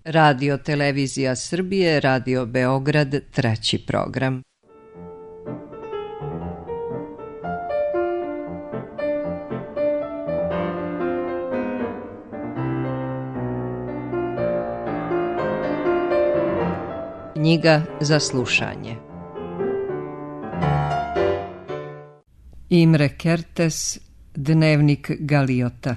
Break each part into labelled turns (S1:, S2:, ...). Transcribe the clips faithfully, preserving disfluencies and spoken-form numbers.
S1: Radio Televizija Srbije, Radio Beograd, treći program. Knjiga za slušanje. Imre Kertész, Dnevnik Galiota.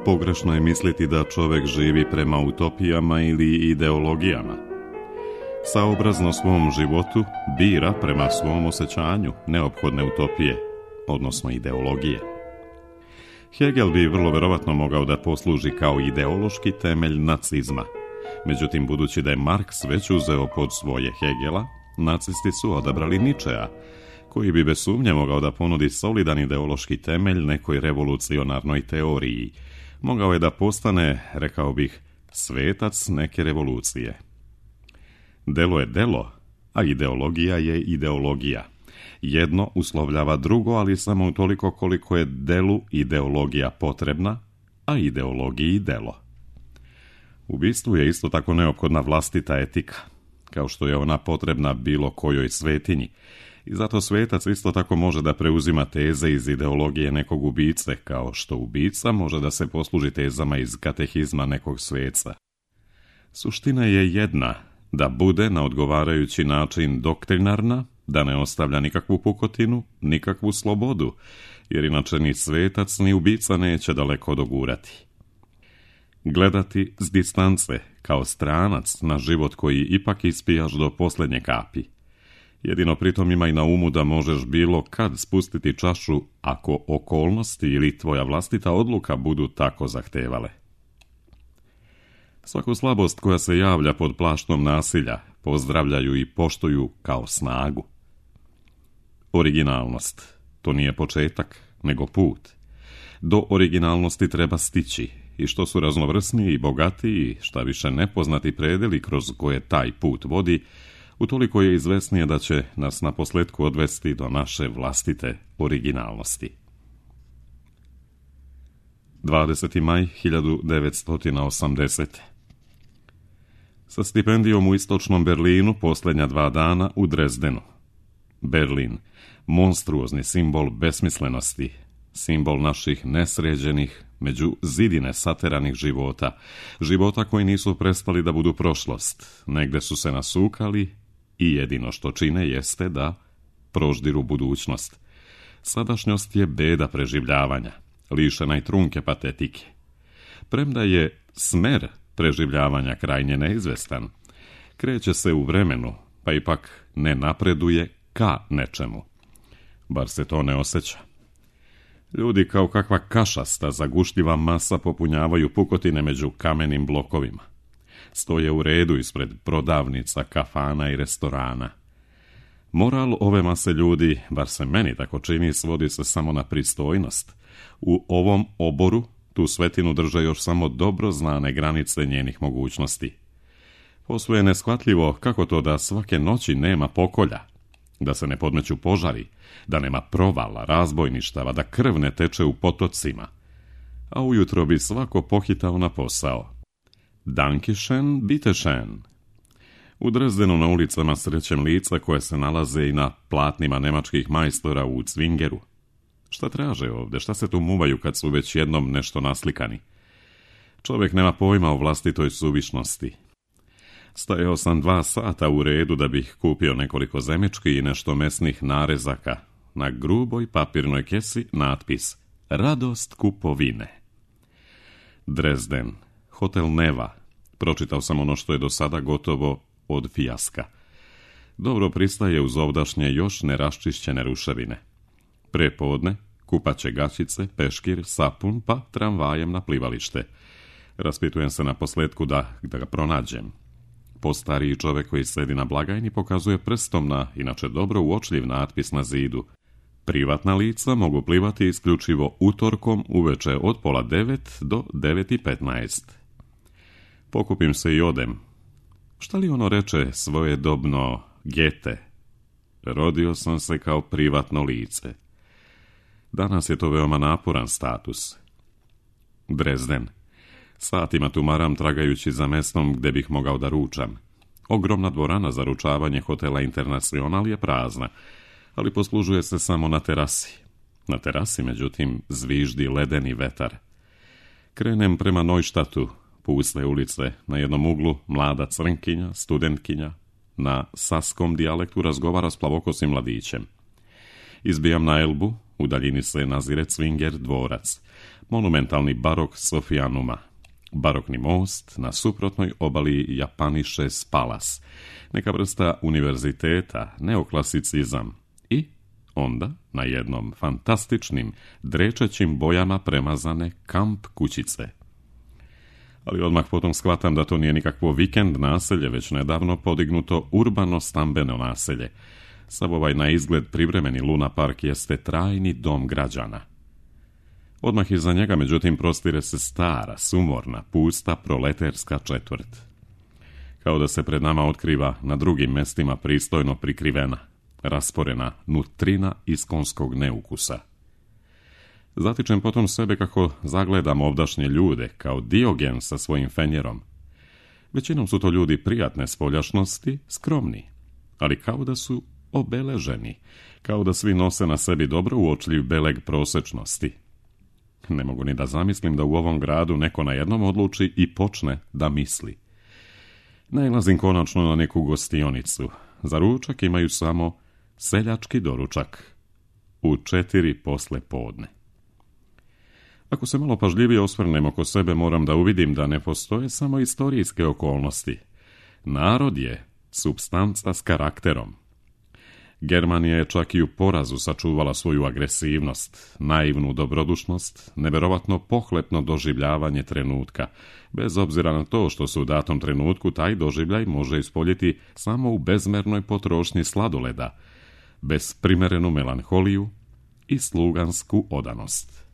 S2: Pogrešno je misliti da čovjek živi prema utopijama ili ideologijama. Saobrazno svom životu bira prema svom osjećanju neophodne utopije, odnosno ideologije. Hegel bi vrlo verovatno mogao da posluži kao ideološki temelj nacizma. Međutim, budući da je Marks već uzeo pod svoje Hegela, nacisti su odabrali Ničea, koji bi bez sumnje mogao da ponudi solidan ideološki temelj nekoj revolucionarnoj teoriji. Mogao je da postane, rekao bih, svetac neke revolucije. Delo je delo, a ideologija je ideologija. Jedno uslovljava drugo, ali samo utoliko koliko je delu ideologija potrebna, a ideologiji delo. Ubistvu je isto tako neophodna vlastita etika, kao što je ona potrebna bilo kojoj svetinji. I zato svetac isto tako može da preuzima teze iz ideologije nekog ubice, kao što ubica može da se posluži tezama iz katehizma nekog sveca. Suština je jedna, da bude na odgovarajući način doktrinarna, da ne ostavlja nikakvu pukotinu, nikakvu slobodu, jer inače ni svetac ni ubica neće daleko dogurati. Gledati s distance, kao stranac na život koji ipak ispijaš do posljednje kapi. Jedino pritom imaj na umu da možeš bilo kad spustiti čašu ako okolnosti ili tvoja vlastita odluka budu tako zahtevale. Svaku slabost koja se javlja pod plaštom nasilja pozdravljaju i poštuju kao snagu. Originalnost, to nije početak, nego put. Do originalnosti treba stići i što su raznovrsniji i bogatiji, šta više nepoznati predeli kroz koje taj put vodi, utoliko je izvesnije da će nas na posljedku odvesti do naše vlastite originalnosti. dvadeseti maj hiljadu devetsto osamdesete. Sa stipendijom u istočnom Berlinu posljednja dva dana u Drezdenu. Berlin, monstruozni simbol besmislenosti, simbol naših nesređenih, među zidine sateranih života, života koji nisu prestali da budu prošlost, negde su se nasukali i jedino što čine jeste da proždiru budućnost. Sadašnjost je beda preživljavanja, lišena i trunke patetike. Premda je smer preživljavanja krajnje neizvestan, kreće se u vremenu, pa ipak ne napreduje ka nečemu. Bar se to ne osjeća. Ljudi kao kakva kašasta zagušljiva masa popunjavaju pukotine među kamenim blokovima. Stoje u redu ispred prodavnica, kafana i restorana. Moral ove mase ljudi, bar se meni tako čini, svodi se samo na pristojnost. U ovom oboru tu svetinu drže još samo dobro znane granice njenih mogućnosti. Posve je neshvatljivo kako to da svake noći nema pokolja, da se ne podmeću požari, da nema provala, razbojništava, da krv ne teče u potocima. A ujutro bi svako pohitao na posao. Dankeschön, bitteschön. U Drezdenu na ulicama srećem lica koje se nalaze i na platnima nemačkih majstora u Cvingeru. Šta traže ovde, šta se tu muvaju kad su već jednom nešto naslikani? Čovjek nema pojma o vlastitoj suvišnosti. Stajao sam dva sata u redu da bih kupio nekoliko zemečki i nešto mesnih narezaka. Na gruboj papirnoj kesi natpis Radost kupovine. Dresden, hotel Neva. Pročitao sam ono što je do sada gotovo od fijaska. Dobro pristaje uz ovdašnje još neraščišćene ruševine. Prepodne, kupaće gaćice, peškir, sapun, pa tramvajem na plivalište. Raspitujem se na posledku da, da ga pronađem. Postariji čovek koji sedi na blagajni pokazuje prstom na, inače dobro uočljiv natpis na zidu. Privatna lica mogu plivati isključivo utorkom uveče od pola devet do devet i petnaest. Pokupim se i odem. Šta li ono reče svojedobno Gete? rodio sam se kao privatno lice. Danas je to veoma naporan status. Dresden. Satima tumaram tragajući za mestom gde bih mogao da ručam. Ogromna dvorana za ručavanje hotela Internacional je prazna, ali poslužuje se samo na terasi. Na terasi, međutim, zviždi ledeni vetar. Krenem prema Neuštatu, puste ulice, na jednom uglu mlada crnkinja, studentkinja, na saskom dijalektu razgovara s plavokosim mladićem. Izbijam na Elbu, u daljini se nazire Cvinger dvorac, monumentalni barok Sofijanuma, barokni most, na suprotnoj obali Japaniše Palas, neka vrsta univerziteta, neoklasicizam i onda na jednom fantastičnim, drečećim bojama premazane kamp kućice. Ali odmah potom shvatam da to nije nikakvo vikend naselje, već nedavno podignuto urbano stambeno naselje. Sav ovaj na izgled privremeni Luna Park jeste trajni dom građana. Odmah iza njega, međutim, prostire se stara, sumorna, pusta proleterska četvrt. Kao da se pred nama otkriva na drugim mestima pristojno prikrivena, rasporena nutrina iskonskog neukusa. Zatičem potom sebe kako zagledam ovdašnje ljude, kao Diogen sa svojim fenjerom. Većinom su to ljudi prijatne spoljašnosti, skromni, ali kao da su obeleženi, kao da svi nose na sebi dobro uočljiv beleg prosečnosti. Ne mogu ni da zamislim da u ovom gradu neko na jednom odluči i počne da misli. Nailazim konačno na neku gostionicu. Za ručak imaju samo seljački doručak. U četiri posle podne. Ako se malo pažljivije osvrnem oko sebe, moram da uvidim da ne postoje samo istorijske okolnosti. Narod je supstanca s karakterom. Germanija je čak i u porazu sačuvala svoju agresivnost, naivnu dobrodušnost, neverovatno pohlepno doživljavanje trenutka, bez obzira na to što se u datom trenutku taj doživljaj može ispoljiti samo u bezmernoj potrošnji sladoleda, bez primerenu melanholiju i slugansku odanost.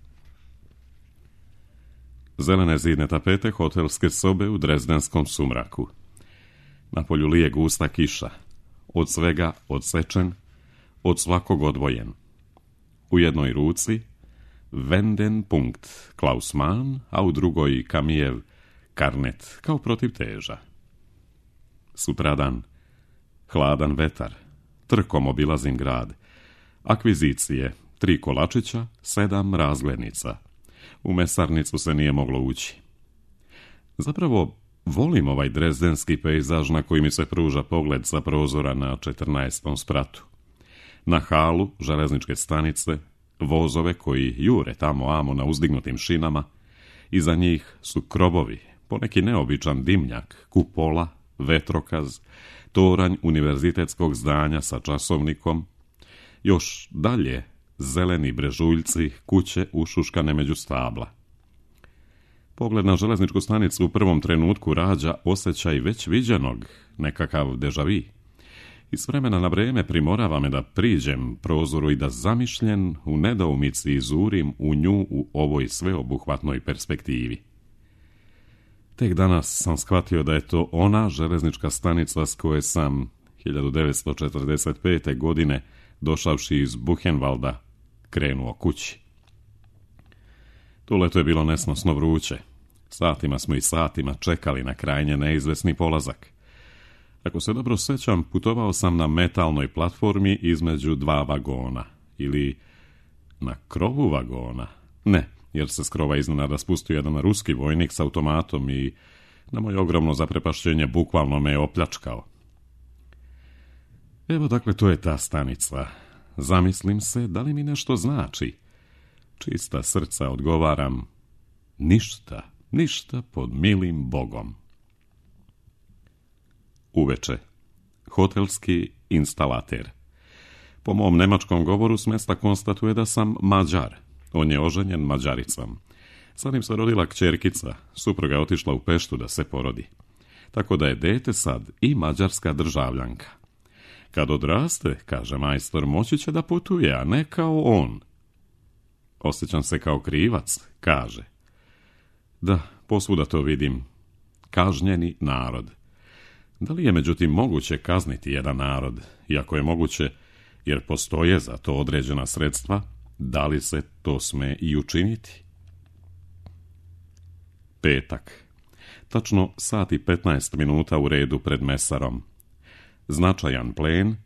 S2: Zelene zidne tapete hotelske sobe u drezdenskom sumraku. Na polju lije gusta kiša, od svega odsečen, od svakog odvojen. U jednoj ruci Wendenpunkt Klaus Mann, a u drugoj Kamijev Karnet kao protiv teža. Sutradan, hladan vetar, trkom obilazim grad, akvizicije, tri kolačića, sedam razglednica. U mesarnicu se nije moglo ući. Zapravo, volim ovaj drezdenski pejzaž na koji mi se pruža pogled sa prozora na četrnaestom spratu. Na halu železničke stanice, vozove koji jure tamo amo na uzdignutim šinama, iza njih su krovovi, poneki neobičan dimnjak, kupola, vetrokaz, toranj univerzitetskog zdanja sa časovnikom, još dalje zeleni brežuljci, kuće ušuškane među stabla. Pogled na železničku stanicu u prvom trenutku rađa osjećaj već viđenog, nekakav dežavi. I s vremena na vreme primorava me da priđem prozoru i da zamišljen u nedoumici izurim u nju u ovoj sveobuhvatnoj perspektivi. Tek danas sam shvatio da je to ona železnička stanica s koje sam hiljadu devetsto četrdeset pete. godine, došavši iz Buchenwalda, krenuo kući. To leto je bilo nesnosno vruće. Satima smo i satima čekali na krajnje neizvesni polazak. Ako se dobro sećam, putovao sam na metalnoj platformi između dva vagona. Ili na krovu vagona. Ne, jer se s krova iznenada spustio jedan ruski vojnik s automatom i na moje ogromno zaprepašćenje bukvalno me je opljačkao. Evo dakle, to je ta stanica. Zamislim se, da li mi nešto znači? Čista srca odgovaram, ništa, ništa pod milim Bogom. Uveče, hotelski instalater. Po mom nemačkom govoru s mesta konstatuje da sam Mađar. On je oženjen Mađaricom. Sa njim se rodila kćerkica, supruga je otišla u Peštu da se porodi. Tako da je dete sad i mađarska državljanka. Kad odraste, kaže majstor, moći će da putuje, a ne kao on. Osjećam se kao krivac, kaže. Da, posvuda to vidim. Kažnjeni narod. Da li je međutim moguće kazniti jedan narod? Iako je moguće, jer postoje za to određena sredstva, da li se to sme i učiniti? Petak. Tačno sat i petnaest minuta u redu pred mesarom. Značajan plen,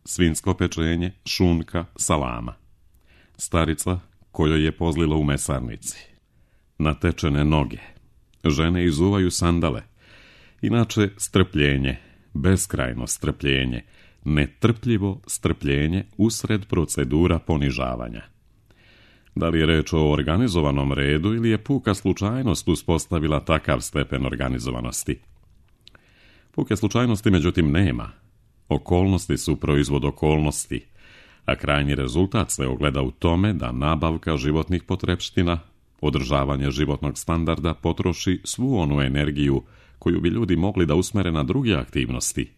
S2: svinjsko pečenje, šunka, salama. Starica kojoj je pozlilo u mesarnici. Natečene noge. Žene izuvaju sandale. Inače strpljenje, beskrajno strpljenje, netrpljivo strpljenje usred procedura ponižavanja. Da li je reč o organizovanom redu ili je puka slučajnost uspostavila takav stepen organizovanosti? Puke slučajnosti međutim nema. Okolnosti su proizvod okolnosti, a krajnji rezultat se ogleda u tome da nabavka životnih potrepština, održavanje životnog standarda potroši svu onu energiju koju bi ljudi mogli da usmere na druge aktivnosti.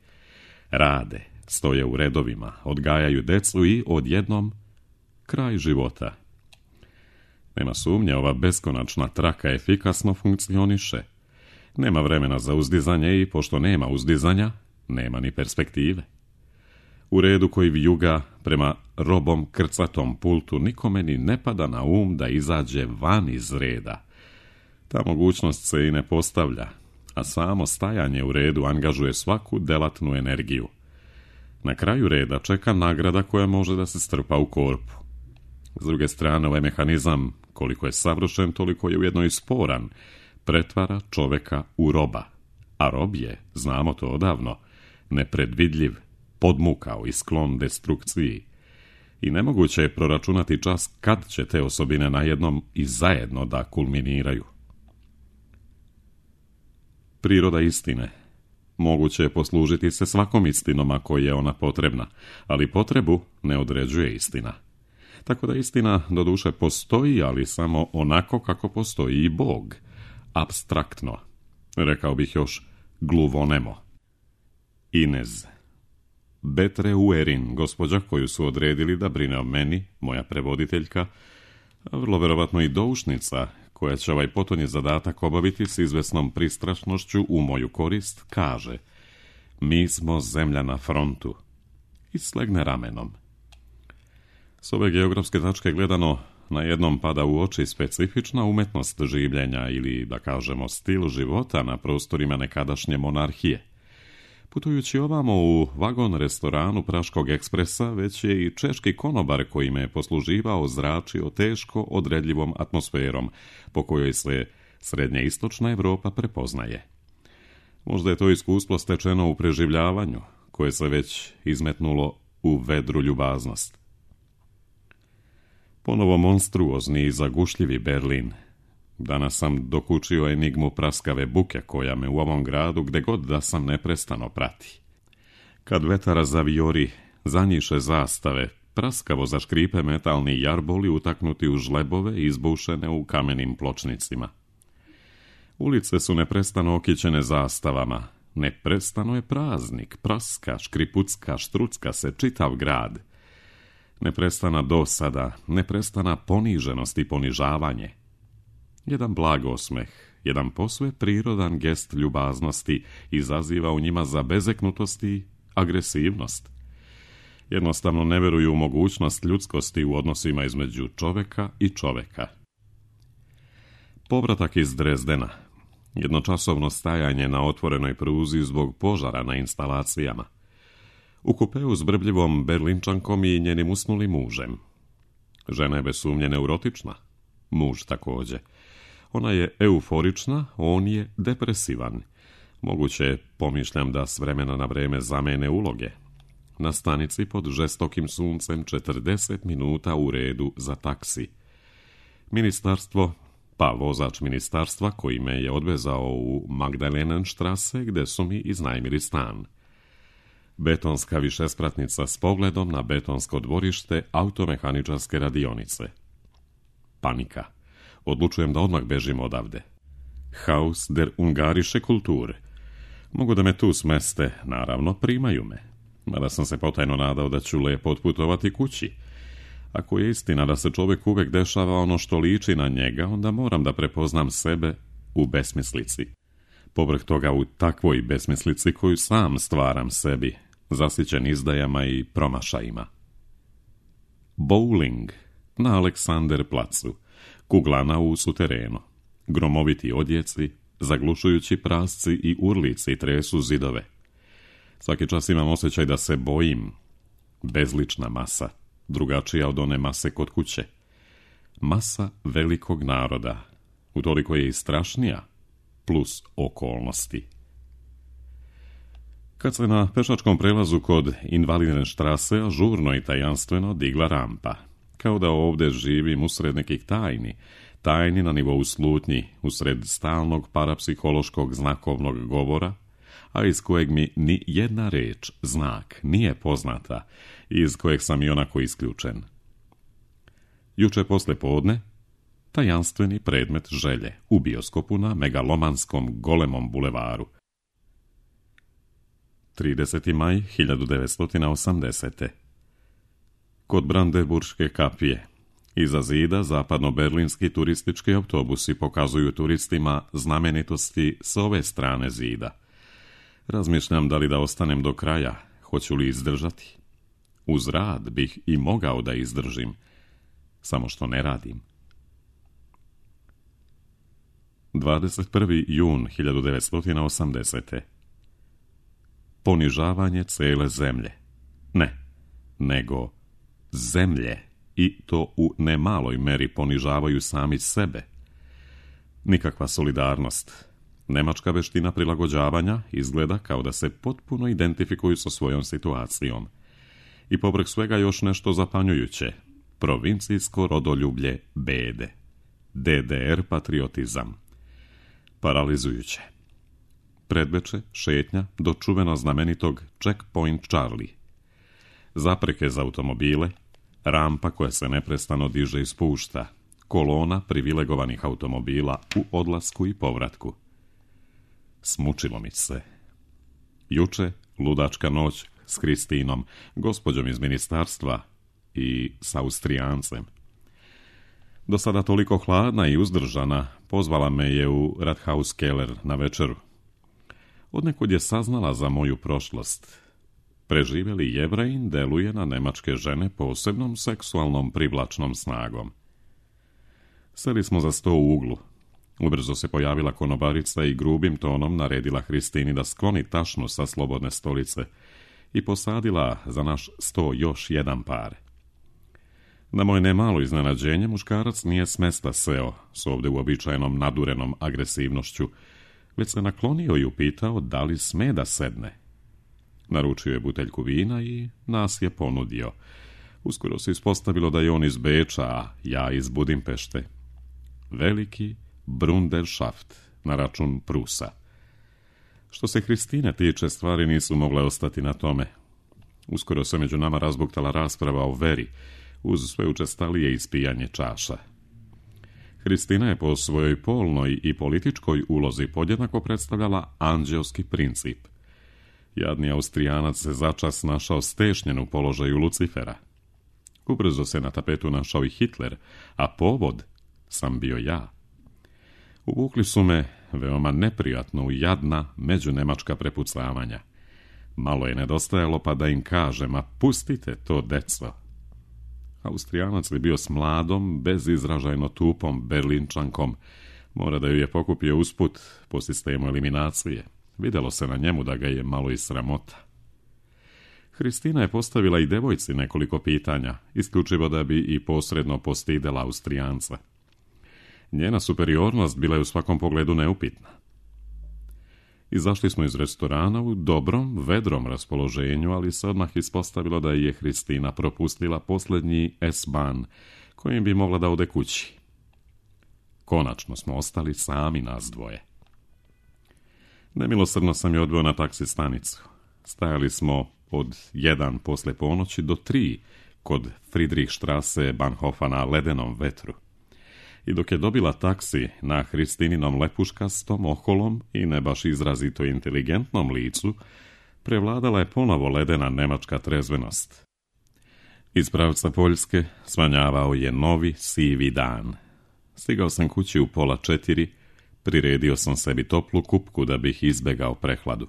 S2: Rade, stoje u redovima, odgajaju decu i odjednom kraj života. Nema sumnje, ova beskonačna traka efikasno funkcioniše. Nema vremena za uzdizanje i pošto nema uzdizanja, nema ni perspektive. U redu koji vijuga prema robom krcatom pultu nikome ni ne pada na um da izađe van iz reda. Ta mogućnost se i ne postavlja, a samo stajanje u redu angažuje svaku delatnu energiju. Na kraju reda čeka nagrada koja može da se strpa u korpu. S druge strane, ovaj mehanizam, koliko je savršen, toliko je ujedno i sporan, pretvara čoveka u roba. A rob je, znamo to odavno, nepredvidljiv, podmukao i sklon destrukciji. I nemoguće je proračunati čas kad će te osobine najednom i zajedno da kulminiraju. Priroda istine. Moguće je poslužiti se svakom istinom ako je ona potrebna, ali potrebu ne određuje istina. Tako da istina doduše postoji, ali samo onako kako postoji i Bog. Apstraktno. Rekao bih još gluvonemo. Inez. Betre Uerin, gospođa koju su odredili da brine o meni, moja prevoditeljka, a vrlo verovatno i doušnica, koja će ovaj potonji zadatak obaviti s izvesnom pristrašnošću u moju korist, kaže: mi smo zemlja na frontu. I slegne ramenom. S ove geografske tačke gledano, na jednom pada u oči specifična umetnost življenja ili, da kažemo, stil života na prostorima nekadašnje monarhije. Putujući ovamo u vagon restoranu Praškog ekspresa, već je i češki konobar koji me je posluživao zračio teško odredljivom atmosferom, po kojoj se srednja istočna Evropa prepoznaje. Možda je to iskustvo stečeno u preživljavanju, koje se već izmetnulo u vedru ljubaznost. Ponovo monstruozni i zagušljivi Berlin. Danas sam dokučio enigmu praskave buke koja me u ovom gradu, gde god da sam, neprestano prati. Kad vetara zavijori, zanjiše zastave, praskavo zaškripe metalni jarboli utaknuti u žlebove izbušene u kamenim pločnicima. Ulice su neprestano okićene zastavama. Neprestano je praznik, praska, škripucka, štrucka se čitav grad. Neprestana dosada, neprestana poniženost i ponižavanje. Jedan blag osmeh, jedan posve prirodan gest ljubaznosti izaziva u njima za bezeknutost i agresivnost. Jednostavno ne veruju u mogućnost ljudskosti u odnosima između čoveka i čoveka. Povratak iz Drezdena. Jednočasovno stajanje na otvorenoj pruzi zbog požara na instalacijama. U kupeu s brbljivom Berlinčankom i njenim usnulim mužem. Žena je bez sumnje neurotična. Muž također. Ona je euforična, on je depresivan. Moguće je, pomišljam, da s vremena na vreme zamene uloge. Na stanici pod žestokim suncem četrdeset minuta u redu za taksi. Ministarstvo, pa vozač ministarstva koji me je odvezao u Magdalenenstrasse gde su mi iznajmili stan. Betonska višespratnica s pogledom na betonsko dvorište automehaničarske radionice. Panika. Odlučujem da odmah bežim odavde. Haus der Ungarische Kultur. Mogu da me tu smeste, naravno primaju me. Mada sam se potajno nadao da ću lepo otputovati kući. Ako je istina da se čovjek uvek dešava ono što liči na njega, onda moram da prepoznam sebe u besmislici. Povrh toga u takvoj besmislici koju sam stvaram sebi, zasićen izdajama i promašajima. Bowling na Aleksanderplacu, kuglana u suterenu, gromoviti odjeci, zaglušujući prasci i urlici tresu zidove. Svaki čas imam osjećaj da se bojim. Bezlična masa, drugačija od one mase kod kuće. Masa velikog naroda, utoliko je i strašnija, plus okolnosti. Kad se na pešačkom prelazu kod Invalidneštrase žurno i tajanstveno digla rampa, kao da ovdje živim usred nekih tajni, tajni na nivou slutnji, usred stalnog parapsihološkog znakovnog govora, a iz kojeg mi ni jedna reč, znak, nije poznata i iz kojeg sam i onako isključen. Juče posle podne, tajanstveni predmet želje u bioskopu na megalomanskom golemom bulevaru. trideseti maj hiljadu devetsto osamdesete. Kod Brandenburške kapije, iza zida zapadno-berlinski turistički autobusi pokazuju turistima znamenitosti s ove strane zida. Razmišljam da li da ostanem do kraja, hoću li izdržati. Uz rad bih i mogao da izdržim, samo što ne radim. dvadeset prvi jun hiljadu devetsto osamdesete. Ponižavanje cele zemlje. Ne, nego zemlje, i to u nemaloj meri ponižavaju sami sebe. Nikakva solidarnost. Nemačka veština prilagođavanja izgleda kao da se potpuno identifikuju sa svojom situacijom. I povrh svega još nešto zapanjujuće. Provincijsko rodoljublje bede. D D R patriotizam. Paralizujuće. Predveče, šetnja do čuveno znamenitog Checkpoint Charlie. Zapreke za automobile, rampa koja se neprestano diže i spušta, kolona privilegovanih automobila u odlasku i povratku. Smučilo mi se. Juče, ludačka noć s Kristinom, gospođom iz ministarstva i s Austrijancem. Do sada toliko hladna i uzdržana, pozvala me je u Rathaus Keller na večeru. Odnekud je saznala za moju prošlost. Preživjeli Jevrejin deluje na nemačke žene posebnom seksualnom privlačnom snagom. Seli smo za sto u uglu. Ubrzo se pojavila konobarica i grubim tonom naredila Hristini da skloni tašnu sa slobodne stolice i posadila za naš sto još jedan par. Na moje nemalo iznenađenje, muškarac nije s mesta seo s ovdje uobičajenom nadurenom agresivnošću, već se naklonio i upitao da li sme da sedne. Naručio je buteljku vina i nas je ponudio. Uskoro se ispostavilo da je on iz Beča, a ja iz Budimpešte. Veliki Brunderschaft na račun Prusa. Što se Hristine tiče, stvari nisu mogle ostati na tome. Uskoro se među nama razbuktala rasprava o veri, uz sve učestalije ispijanje čaša. Hristina je po svojoj polnoj i političkoj ulozi podjednako predstavljala anđelski princip. Jadni Austrijanac se začas našao stešnjen u položaju Lucifera. Ubrzo se na tapetu našao i Hitler, a povod sam bio ja. Uvukli su me veoma neprijatno u jadna međunemačka prepucavanja. Malo je nedostajalo pa da im kažem, a pustite to, deco. Austrijanac je bio s mladom, bezizražajno tupom Berlinčankom. Mora da ju je pokupio usput po sistemu eliminacije. Vidjelo se na njemu da ga je malo i sramota. Hristina je postavila i devojci nekoliko pitanja, isključivo da bi i posredno postidela Austrijanca. Njena superiornost bila je u svakom pogledu neupitna. Izašli smo iz restorana u dobrom, vedrom raspoloženju, ali se odmah ispostavilo da je Hristina propustila posljednji S-ban, kojim bi mogla da ode kući. Konačno smo ostali sami nas dvoje. Nemilosrdno sam je odveo na taksi stanicu. Stajali smo od jedan posle ponoći do tri kod Friedrichstrasse Bahnhofa na ledenom vetru. I dok je dobila taksi na Hristininom lepuškastom, oholom i ne baš izrazito inteligentnom licu, prevladala je ponovo ledena nemačka trezvenost. Iz pravca Poljske svanjavao je novi sivi dan. Stigao sam kući u pola četiri, priredio sam sebi toplu kupku da bih izbegao prehladu.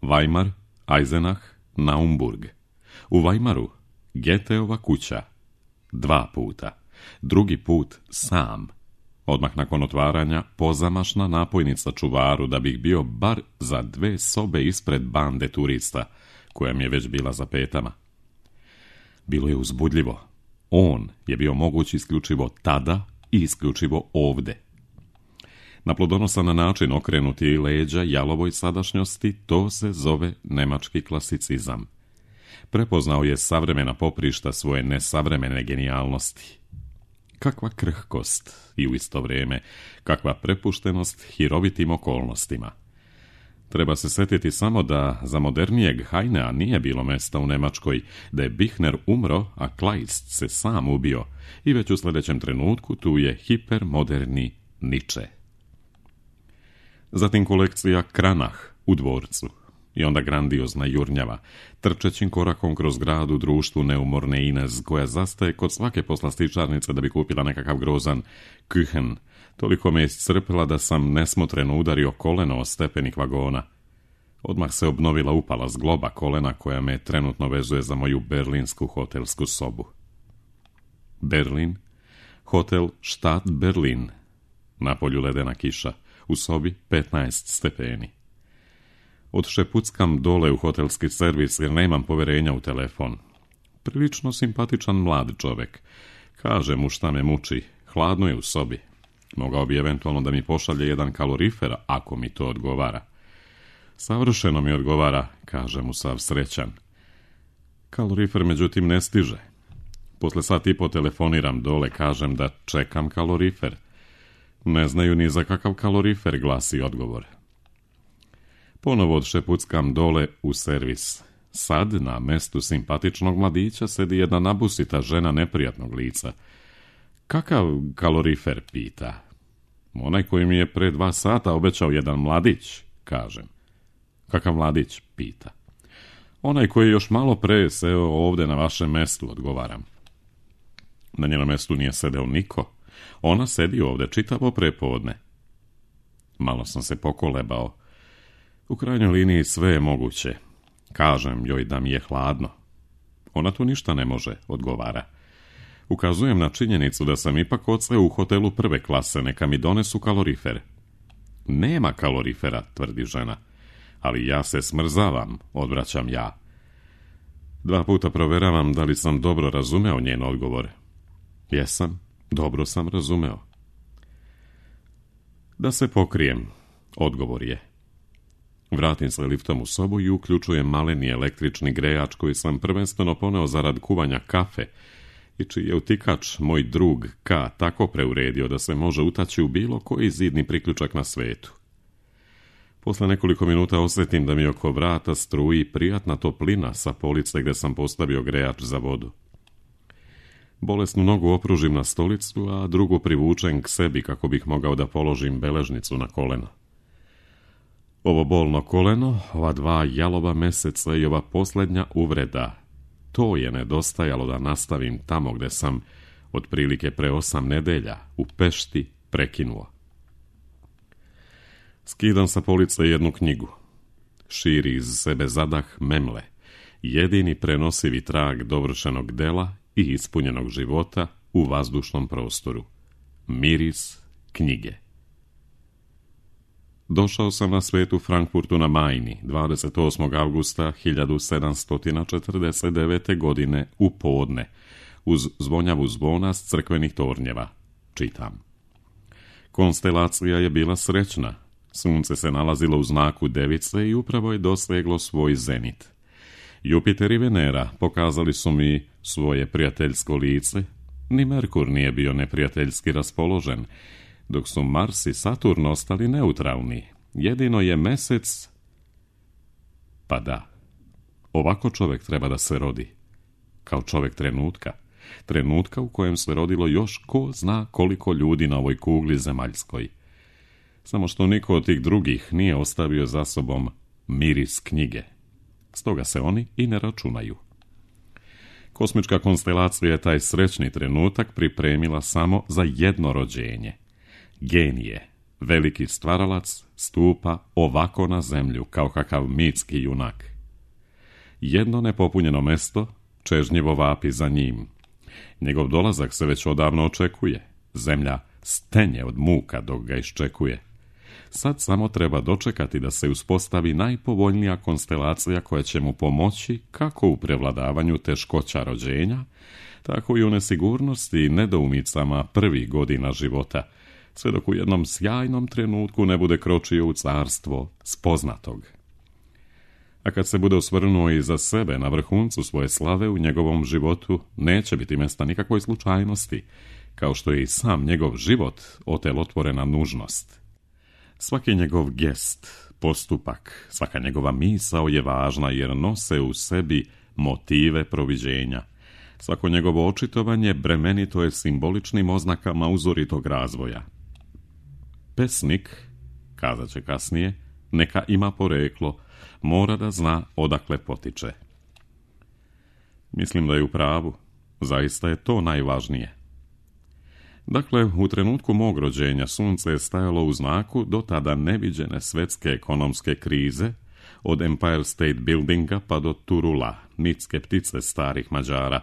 S2: Weimar, Eisenach, Naumburg. U Weimaru, Geteova kuća. Dva puta. Drugi put sam. Odmah nakon otvaranja pozamašna napojnica čuvaru da bih bio bar za dve sobe ispred bande turista, koja mi je već bila za petama. Bilo je uzbudljivo. On je bio moguć isključivo tada i isključivo ovde. Na plodonosan način okrenuti leđa jalovoj sadašnjosti, to se zove nemački klasicizam. Prepoznao je savremena poprišta svoje nesavremene genijalnosti. Kakva krhkost i u isto vrijeme kakva prepuštenost hirovitim okolnostima. Treba se sjetiti samo da za modernijeg Heinea nije bilo mjesta u Njemačkoj, da je Bichner umro, a Kleist se sam ubio i već u sljedećem trenutku tu je hipermoderni Nietzsche. Zatim kolekcija Kranach u dvorcu i onda grandiozna jurnjava, trčećim korakom kroz grad u društvu neumorne Inez, koja zastaje kod svake poslastičarnice da bi kupila nekakav grozan Küchen. Toliko me iscrpila da sam nesmotreno udario koleno o stepenik vagona. Odmah se obnovila upala zgloba kolena koja me trenutno vezuje za moju berlinsku hotelsku sobu. Berlin, hotel Stadt Berlin. Napolju ledena kiša, u sobi petnaest stepeni. Odšepuckam dole u hotelski servis jer nemam poverenja u telefon. Prilično simpatičan mlad čovjek. Kaže mu šta me muči, hladno je u sobi. Mogao bi eventualno da mi pošalje jedan kalorifer, ako mi to odgovara. Savršeno mi odgovara, kaže mu sav srećan. Kalorifer međutim ne stiže. Posle sat i po telefoniram dole, kažem da čekam kalorifer. Ne znaju ni za kakav kalorifer, glasi odgovor. Ponovo odšepuckam dole u servis. Sad na mestu simpatičnog mladića sedi jedna nabusita žena neprijatnog lica. Kakav kalorifer, pita. Onaj koji mi je pre dva sata obećao jedan mladić, kažem. Kakav mladić, pita. Onaj koji još malo pre seo ovde na vašem mestu, odgovaram. Na njenom mestu nije sedeo niko. Ona sedi ovde čitavo prepodne. Malo sam se pokolebao. U krajnjoj liniji sve je moguće. Kažem joj da mi je hladno. Ona tu ništa ne može, odgovara. Ukazujem na činjenicu da sam ipak odseo u hotelu prve klase, neka mi donesu kalorifer. Nema kalorifera, tvrdi žena. Ali ja se smrzavam, odvraćam ja. Dva puta proveravam da li sam dobro razumeo njen odgovor. Jesam, dobro sam razumeo. Da se pokrijem, odgovor je. Vratim se liftom u sobu i uključujem maleni električni grejač koji sam prvenstveno poneo zarad kuvanja kafe i čiji je utikač moj drug K tako preuredio da se može utaći u bilo koji zidni priključak na svetu. Posle nekoliko minuta osjetim da mi oko vrata struji prijatna toplina sa police gdje sam postavio grejač za vodu. Bolesnu nogu opružim na stolicu, a drugu privučem k sebi kako bih mogao da položim beležnicu na koleno. Ovo bolno koleno, ova dva jalova meseca i ova posljednja uvreda, to je nedostajalo da nastavim tamo gdje sam otprilike pre osam nedelja u Pešti prekinuo. Skidam sa police jednu knjigu. Širi iz sebe zadah memle, jedini prenosivi trag dovršenog dela i ispunjenog života u vazdušnom prostoru. Miris knjige. Došao sam na svet u Frankfurtu na Majni, dvadeset osmog avgusta hiljadu sedamsto četrdeset devete. godine u podne, uz zvonjavu zvona s crkvenih tornjeva. Čitam. Konstelacija je bila srećna. Sunce se nalazilo u znaku device i upravo je doseglo svoj zenit. Jupiter i Venera pokazali su mi svoje prijateljsko lice, ni Merkur nije bio neprijateljski raspoložen, dok su Mars i Saturn ostali neutralni. Jedino je Mesec... Pa da, ovako čovjek treba da se rodi. Kao čovjek trenutka. Trenutka u kojem se rodilo još ko zna koliko ljudi na ovoj kugli zemaljskoj. Samo što niko od tih drugih nije ostavio za sobom miris knjige. Stoga se oni i ne računaju. Kosmička konstelacija je taj srećni trenutak pripremila samo za jedno rođenje. Genije, veliki stvaralac, stupa ovako na zemlju kao kakav mitski junak. Jedno nepopunjeno mesto, čežnjivo vapi za njim. Njegov dolazak se već odavno očekuje. Zemlja stenje od muka dok ga iščekuje. Sad samo treba dočekati da se uspostavi najpovoljnija konstelacija koja će mu pomoći kako u prevladavanju teškoća rođenja, tako i u nesigurnosti i nedoumicama prvih godina života, sve dok u jednom sjajnom trenutku ne bude kročio u carstvo spoznatog. A kad se bude osvrnuo i za sebe na vrhuncu svoje slave u njegovom životu, neće biti mjesta nikakvoj slučajnosti, kao što je i sam njegov život otelotvorena nužnost. Svaki njegov gest, postupak, svaka njegova misao je važna jer nose u sebi motive proviđenja. Svako njegovo očitovanje bremenito je simboličnim oznakama uzoritog razvoja. Pesnik, kazat će kasnije, neka ima poreklo, mora da zna odakle potiče. Mislim da je u pravu, zaista je to najvažnije. Dakle, u trenutku mog rođenja sunce je stajalo u znaku do tada neviđene svetske ekonomske krize, od Empire State Buildinga pa do Turula, mitske ptice starih Mađara,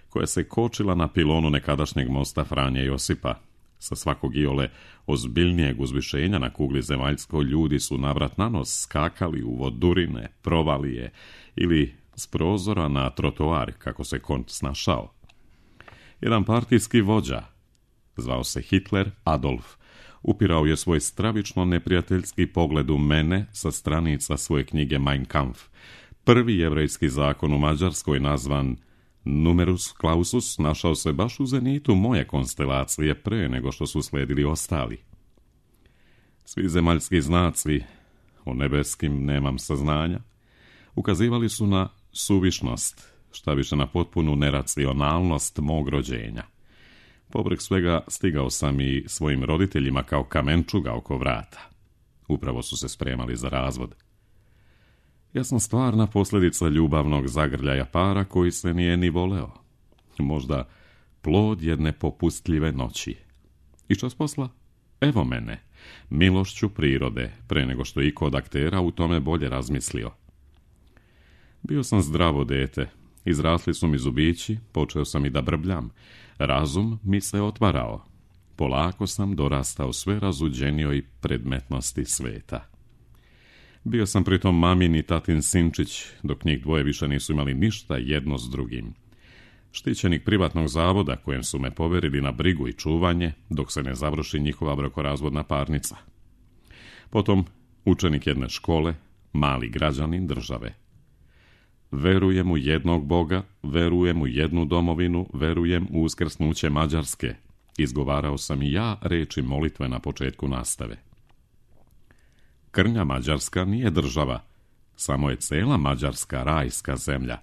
S2: koja se kočila na pilonu nekadašnjeg mosta Franje Josipa. Sa svakog iole ozbiljnijeg uzvišenja na kugli zemaljskoj ljudi su navrat na nos skakali u vodurine, provalije ili s prozora na trotoar, kako se konj snašao. Jedan partijski vođa, zvao se Hitler Adolf, upirao je svoj stravično neprijateljski pogled u mene sa stranica svoje knjige Mein Kampf. Prvi jevrejski zakon u Mađarskoj, nazvan Numerus Clausus, našao se baš u zenitu moje konstelacije pre nego što su sledili ostali. Svi zemaljski znaci, o nebeskim nemam saznanja, ukazivali su na suvišnost, šta više na potpunu neracionalnost mog rođenja. Povrh svega stigao sam i svojim roditeljima kao kamenčuga oko vrata. Upravo su se spremali za razvod. Ja sam stvarna posljedica ljubavnog zagrljaja para koji se nije ni voleo. Možda plod jedne popustljive noći. I čas posla? Evo mene, milošću prirode, pre nego što je iko od aktera u tome bolje razmislio. Bio sam zdravo dete, izrasli su mi zubići, počeo sam i da brbljam, razum mi se otvarao. Polako sam dorastao sve razuđenijoj predmetnosti sveta. Bio sam pritom mamin i tatin sinčić, dok njih dvoje više nisu imali ništa jedno s drugim. Štićenik privatnog zavoda kojem su me poverili na brigu i čuvanje, dok se ne završi njihova brakorazvodna parnica. Potom učenik jedne škole, mali građanin države. Verujem u jednog Boga, verujem u jednu domovinu, verujem u uskrsnuće Mađarske. Izgovarao sam i ja reči molitve na početku nastave. Krnja Mađarska nije država, samo je cela Mađarska rajska zemlja.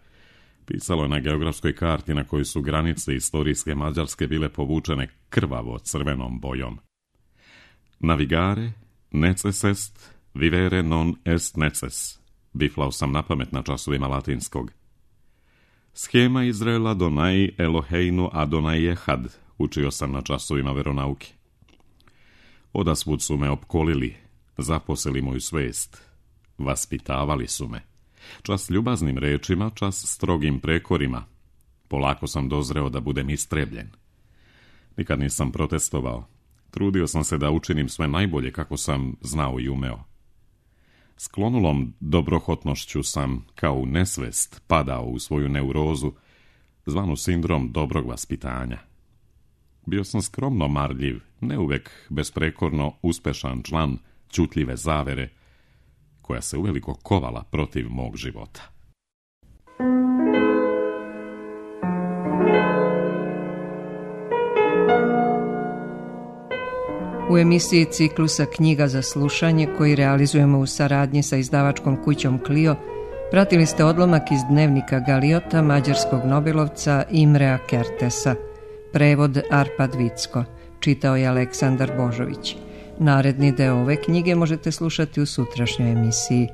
S2: Pisalo je na geografskoj karti na kojoj su granice istorijske Mađarske bile povučene krvavo crvenom bojom. Navigare, neces est, vivere non est neces. Biflao sam na pamet na časovima latinskog. Schema Izraela Donai Eloheinu Adonai Ehad, učio sam na časovima veronauke. Odasvud su me opkolili, zaposeli moju svest, vaspitavali su me. Čas ljubaznim rečima, čas strogim prekorima. Polako sam dozreo da budem istrebljen. Nikad nisam protestovao. Trudio sam se da učinim sve najbolje kako sam znao i umeo. Sklonulom dobrohotnošću sam, kao u nesvest, padao u svoju neurozu, zvanu sindrom dobrog vaspitanja. Bio sam skromno marljiv, ne uvek besprekorno uspešan član ćutljive zavere, koja se uveliko kovala protiv mog života.
S1: U emisiji ciklusa Knjiga za slušanje, koji realizujemo u saradnji sa izdavačkom kućom Clio, pratili ste odlomak iz dnevnika Galiota mađarskog nobelovca Imrea Kertesa. Prevod Arpad Vicko. Čitao je Aleksandar Božović. Naredni deo ove knjige možete slušati u sutrašnjoj emisiji.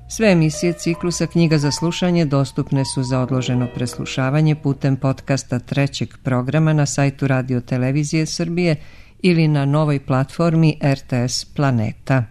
S1: Sve emisije ciklusa Knjiga za slušanje dostupne su za odloženo preslušavanje putem podcasta trećeg programa na sajtu Radio Televizije Srbije ili na novoj platformi R T S Planeta.